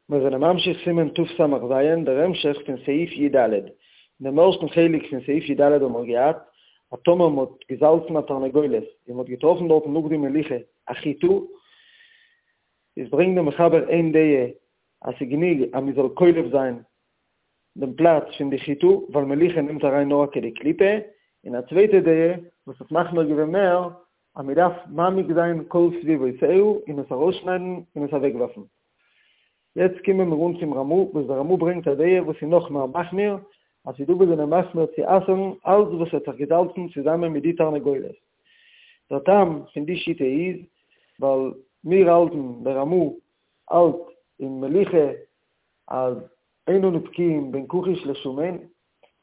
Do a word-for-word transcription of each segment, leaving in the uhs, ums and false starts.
מיר זענען ממשיך סימן תס"ז, דער המשך פון סעיף י"ד. אין דעם ערשטן חלק פון סעיף י"ד האבן מיר געהאט, אז טאמער מ'האט געזאלצן א תרנגולת און מ'האט געטראפן דארטן נאך די מליחה א חיטה, איז ברענגט דער מחבר איין דעה אז ס'איז גענוג אז מ'זאל קולף זיין דעם פלאץ פון די חיטה, ווייל מליחה נעמט אריין נאר א כדי קליפה, און א צווייטע דעה וואס האט מחמיר געווען מער, אז מ'דארף מעמיק זיין כל סביבותיה און עס ארויסשניידן און עס אוועקווארפן. יעצט קומען מיר אן צום רמ"א, וואס דער רמ"א ברענגט א דעה וואס איז נאך מער מחמיר, אז ס'איז דא וואס זענען מחמיר צו אסר'ן אלץ וואס האט זיך געזאלצן צוזאמען מיט די תרנגולת. דער טעם פון די שיטה איז, ווייל מיר האלטן, דער רמ"א האלט אין מליחה אז אין אנו בקיאים בין כחיש לשמן,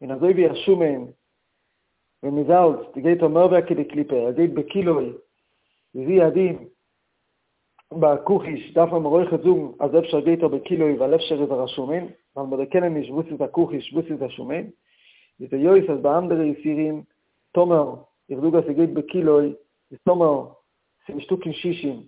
און אזוי ווי א שמן ווען מען זאלצט גייט ער מער ווי א כדי קליפה, ער גייט בכולו, איז הוא הדין ביי כחיש דארף מען אויכעט זאגן אז אפשר גייט ער בכולו ווייל אפשר איז ער א שמן, ווייל מיר דערקענען נישט וואס איז א כחיש וואס איז א שמן, איז היות אז ביי אנדערע איסורים טאמער איך זאג אז ס'גייט בכולו איז טאמער ס'איז נישטא קיין שישים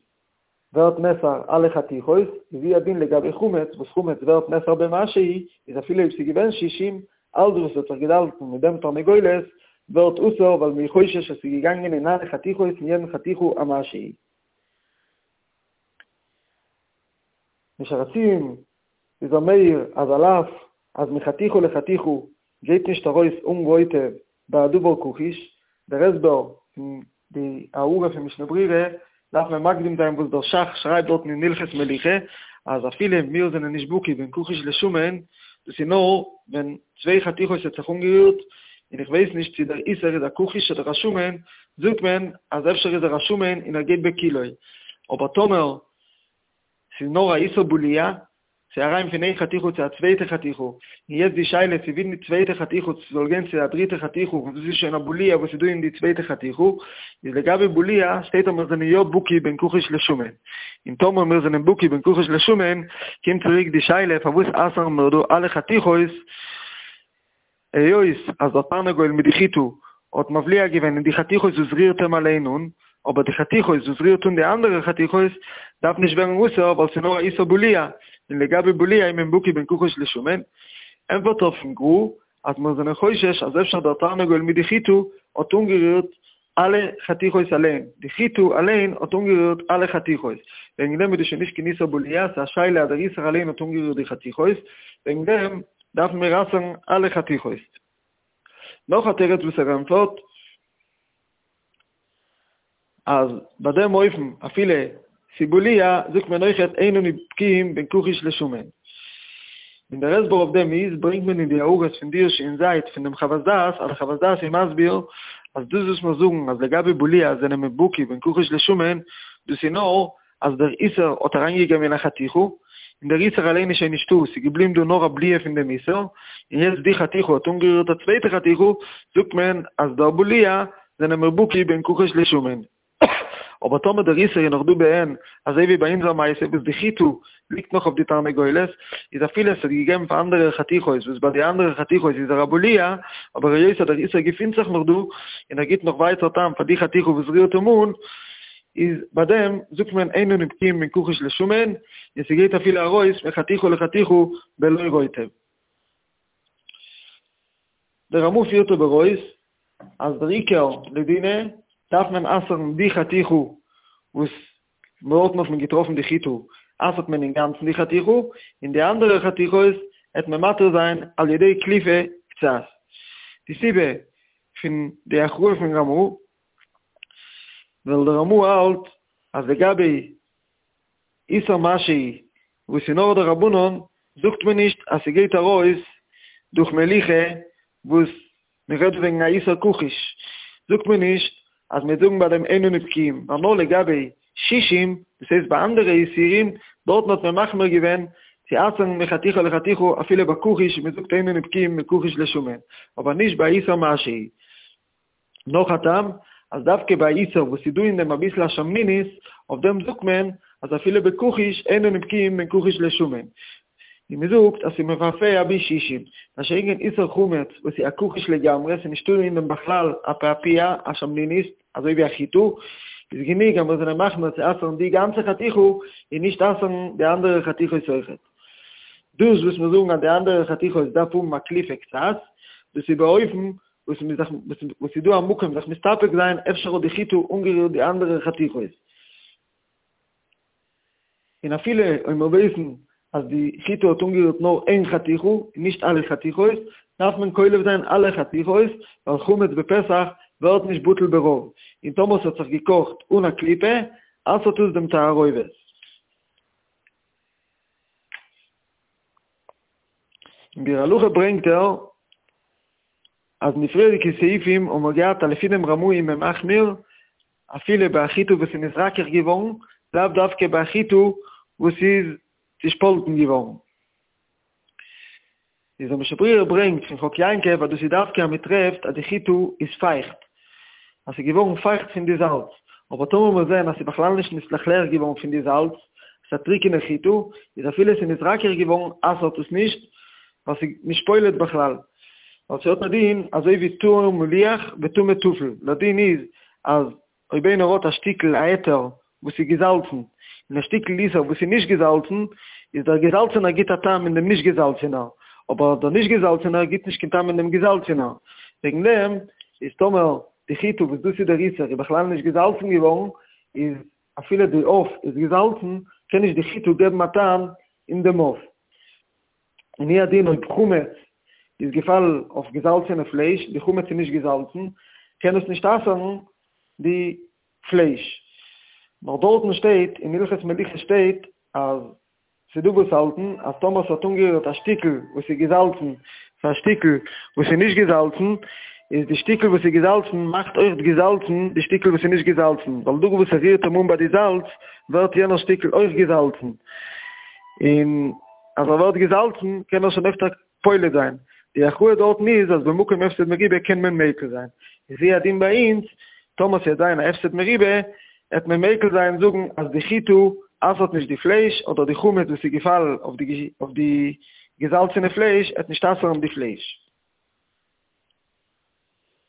ווערט נאסר אלע חתיכות, איז הוא הדין לגבי חמץ וואס חמץ ווערט נאסר במשהו, איז אפילו אויב ס'איז געווען שישים, אלץ וואס האט זיך געזאלצן מיט דעם תרנגולת ווערט אסור ווייל מ'איז חושש אז ס'איז געגאנגען אין אלע חתיכות אין יעדן חתיכה א משהו. אין שער הציון איז ער מעיר אז על אף אז מחתיכה לחתיכה גייט נישט ארויס אן רוטב ביי א דבר כחיש, דער הסבר פון די הערה פון משנה ברורה דארף מען מקדים זיין וואס דער ש"ך שרייבט דארטן אין הלכות מליחה אז אפילו מיר זענען נישט בקי בין כחיש לשמן, דאס איז נאר ווען צוויי חתיכות האט זיך אנגערירט און איך ווייס נישט צו דער איסור איז א כחיש אדער א שמן, זאגט מען אז אפשר איז ער א שמן און ער גייט בכולו, אבער טאמער ס'איז נאר א איסור בליעה, ס'איז אריין פון איין חתיכה צו א צווייטע חתיכה, און יעצט די שאלה צו ווי די צווייטע חתיכה צו ס'זאל גיין צו א דריטע חתיכה וואס דאס איז שוין א בליעה וואס איז דא אין די צווייטע חתיכה, איז לגבי בליעה שטייט אז מיר זענען יא בקי בין כחיש לשמן, און טאמער מיר זענען בקי בין כחיש לשמן, קומט צוריק די שאלה פארוואס אסר'ן מיר דא אלע חתיכות, היות אז דער תרנגול מיט די חיטה האט מבליע געווען אין די חתיכות וואס רירט אים אליין אן, אבער די חתיכות וואס רירט אן די אנדערע חתיכות דארף נישט ווערן אסור ווייל ס'איז נאר א איסור בליעה, און לגבי בליעה איז מען בקי בין כחיש לשמן, ענטפערט ער פון גר"א אז מיר זענען חושש אז אפשר דער תרנגול מיט די חיטה האט אנגערירט אלע חתיכות אליין, די חיטה אליין האט אנגערירט אלע חתיכות, וועגן דעם איז דאס שוין נישט קיין איסור בליעה, ס'איז א שאלה אז דער איסור אליין האט אנגערירט די חתיכות, וועגן דעם דארפן מיר אסר'ן אלע חתיכות. נאך א תירוץ וואס ער ענטפערט, אז ביי דעם אופן אפילו ס'איז בליעה זאגט מען אויכעט אין אנו בקיאים בין כחיש לשמן. און דער הסבר אויף דעם איז, ברענגט מען אין די הערות פון די שין זית פון דעם חוות דעת, אז דער חוות דעת איז מסביר אז דאס וואס מיר זאגן אז לגבי בליעה זענען מיר בקי בין כחיש לשמן, דאס איז נאר אז דער איסור האט אריינגעגעבן אין א חתיכה, און דער איסור אליין איז שוין נישטא, ס'איז געבליבן דא נאר א בליעה פון דעם איסור, און יעצט די חתיכה האט אנגערירט א צווייטע חתיכה, זאגט מען אז דער בליעה זענען מיר בקי בין כחיש לשמן. אבער טאמער דער איסור איז נאך דא בעין, אזוי ווי ביי אונזער מעשה וואס די חיטה ליגט נאך אויף די תרנגולת, איז אפילו עס האט געגעבן פאר אנדערע חתיכות וואס ביי די אנדערע חתיכות איז ער א בליעה, אבער היות אז דער איסור געפינט זיך נאך דא, און ער גיבט נאך ווייטער טעם פאר די חתיכה וואס רירט אים אן, איז ביי דעם זאגט מען אין אנו בקיאים בין כחיש לשמן, און ס'גייט אפילו ארויס מחתיכה לחתיכה בלא רוטב. דער רמ"א פירט אבער אויס אז דער עיקר לדינא דארף מען אסר'ן די חתיכה וואס דארטן האט מען געטראפן די חיטה, אסר'ט מען אינגאנצן די חתיכה, און די אנדערע חתיכות העט מען מתיר זיין על ידי קליפה קצת. די סיבה פון די הכרעה פון רמ"א, ווייל דער רמ"א האלט אז לגבי איסור משהו וואס איז נאר דרבנן, זאגט מען נישט אז ס'גייט ארויס דורך מליחה וואס מ'רעדט וועגן א איסור כחיש, זאגט מען נישט אז מיר זאגן ביי דעם אין אנו בקיאים, ווייל נאר לגבי שישים, דאס הייסט ביי אנדערע איסורים, דארטן האט מען מחמיר געווען צו אסר'ן מחתיכה לחתיכה אפילו ביי כחיש, מען זאגט אין אנו בקיאים מכחיש לשמן, אבער נישט ביי איסור משהו. נאך א טעם, אז דווקא ביי איסור וואס איז דא אין דעם אביסל א שמנונית, אויף דעם זאגט מען אז אפילו בכחיש אין אנו בקיאים בין כחיש לשמן, און מען זאגט אז ס'איז מפעפע ביז שישים, מה שאין כן איסור חמץ וואס איז א כחיש לגמרי, ס'איז נישטא אין דעם בכלל א פעפוע, א שמנונית, אזוי ווי א חיטה, איז גענוג אז מיר זענען מחמיר צו אסר'ן די גאנצע חתיכה און נישט אסר'ן די אנדערע חתיכות אויכעט. דאס וואס מיר זאגן אז די אנדערע חתיכות דארף האבן א קליפה קצת, דאס איז באופן וואס מ'איז זיך וואס איז דא א מקום זיך מסתפק זיין אפשר האט די חיטה אנגערירט די אנדערע חתיכות. און אפילו אויב מיר ווייסן אז די חיטה האט אנגערירט נאר איין חתיכה און נישט אלע חתיכות, דארף מען קולף זיין אלע חתיכות, ווייל חמץ בפסח ווערט נישט בטל ברוב, און טאמער ס'האט זיך געקאכט אן א קליפה, אסר'ט עס דעם תערובת. אין ביאור הלכה ברענגט ער אז אין די פריערדיגע סעיפים האבן מיר געהאט אז לפי דעם רמ"א איז מען מחמיר אפילו ביי א חיטה וואס איז נתרכך געווארן, לאו דווקא ביי א חיטה וואס איז צושפאלטן געווארן. איז דער משנה ברורה ברענגט פון חק יעקב אז דאס איז דווקא אז מען טרעפט אז די חיטה איז פייכט, אז ס'איז געווארן פייכט פון די זאלץ, אבער טאמער מיר זעען אז ס'איז בכלל נישט נתלכלך געווארן פון די זאלץ, ס'איז א טריקענע חיטה, איז אפילו ס'איז נתרכך געווארן אסר'ט עס נישט, ווייל ס'איז נישט פולט בכלל, ווייל ס'האט א דין אזוי ווי טהור מליח וטמא טפל, דער דין איז אז אויב איינער האט א שטיקל א היתר וואס איז געזאלצן, און א שטיקל איסור וואס איז נישט געזאלצן, איז דער געזאלצענער גיט א טעם אין דעם נישט געזאלצענער, אבער דער נישט געזאלצענער גיט נישט קיין טעם אין דעם געזאלצענער. וועגן דעם איז טאמער די חיטה וואס דאס איז דער איסור איז בכלל נישט געזאלצן געווארן, איז אפילו די עוף איז געזאלצן, קען נישט די חיטה געבן א טעם אין דעם עוף. און הוא הדין אויב חמץ איז געפאלן אויף געזאלצענע פלייש, די חמץ איז נישט געזאלצן, קען עס נישט אסר'ן די פלייש. נאר דארטן שטייט, אין הלכות מליחה שטייט, אז ס'דא וואס האלטן אז טאמער ס'האט אנגערירט א שטיקל וואס איז געזאלצן צו א שטיקל וואס איז נישט געזאלצן, איז די שטיקל וואס איז געזאלצן מאכט אויכט געזאלצן די שטיקל וואס איז נישט געזאלצן, ווייל דא וואס ס'רירט אים אן ביי די זאלץ ווערט יענער שטיקל אויך געזאלצן, און אז ער ווערט געזאלצן קען ער שוין אויכט פולט זיין. די הכרעה דארטן איז אז במקום הפסד מרובה קען מען מיקל זיין. איז הוא הדין ביי אונז, טאמער ס'וועט זיין א הפסד מרובה, עט מען מיקל זיין זאגן אז די חיטה אסר'ט נישט די פלייש, אדער די חמץ וואס איז געפאלן אויף די אויף די געזאלצענע פלייש עט נישט אסר'ן די פלייש.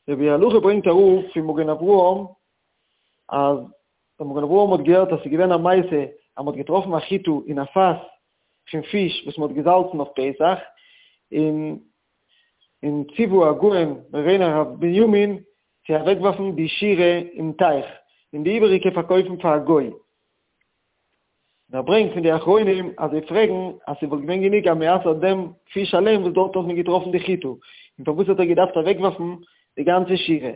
דער ביאור הלכה ברענגט אראפ פון מגן אברהם אז דער מגן אברהם האט געהערט אז ס'איז געווען א מעשה אז מ'האט געטראפן א חיטה אין א פאס פון פיש וואס מ'האט געזאלצן אויף פסח, און און ציוה הגאון מורינו הרב בנימין צו אוועקווארפן די שורה אין טייך, און די איבעריגע פארקויפן פאר א גוי. און ער ברענגט פון די אחרונים אז זיי פרעגן אז ס'וואלט געווען גענוג אז מ'אסר'ט דעם פיש אליין וואס דארט האט מען געטראפן די חיטה, און פארוואס האט ער געדארפט אוועקווארפן די גאנצע שורה?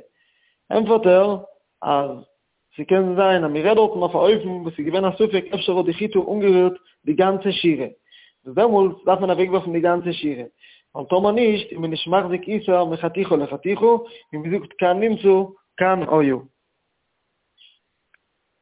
ענטפערט ער אז ס'קען זיין אז מ'רעדט דארטן אויף א אופן וואס איז געווען א ספק אפשר האט די חיטה אנגערירט די גאנצע שורה, וואס דעמאלטס דארף מען אוועקווארפן די גאנצע שורה, ווייל טאמער נישט איז מען נישט מחזיק איסור מחתיכה לחתיכה, און מ'זאגט כאן נמצא כאן היה.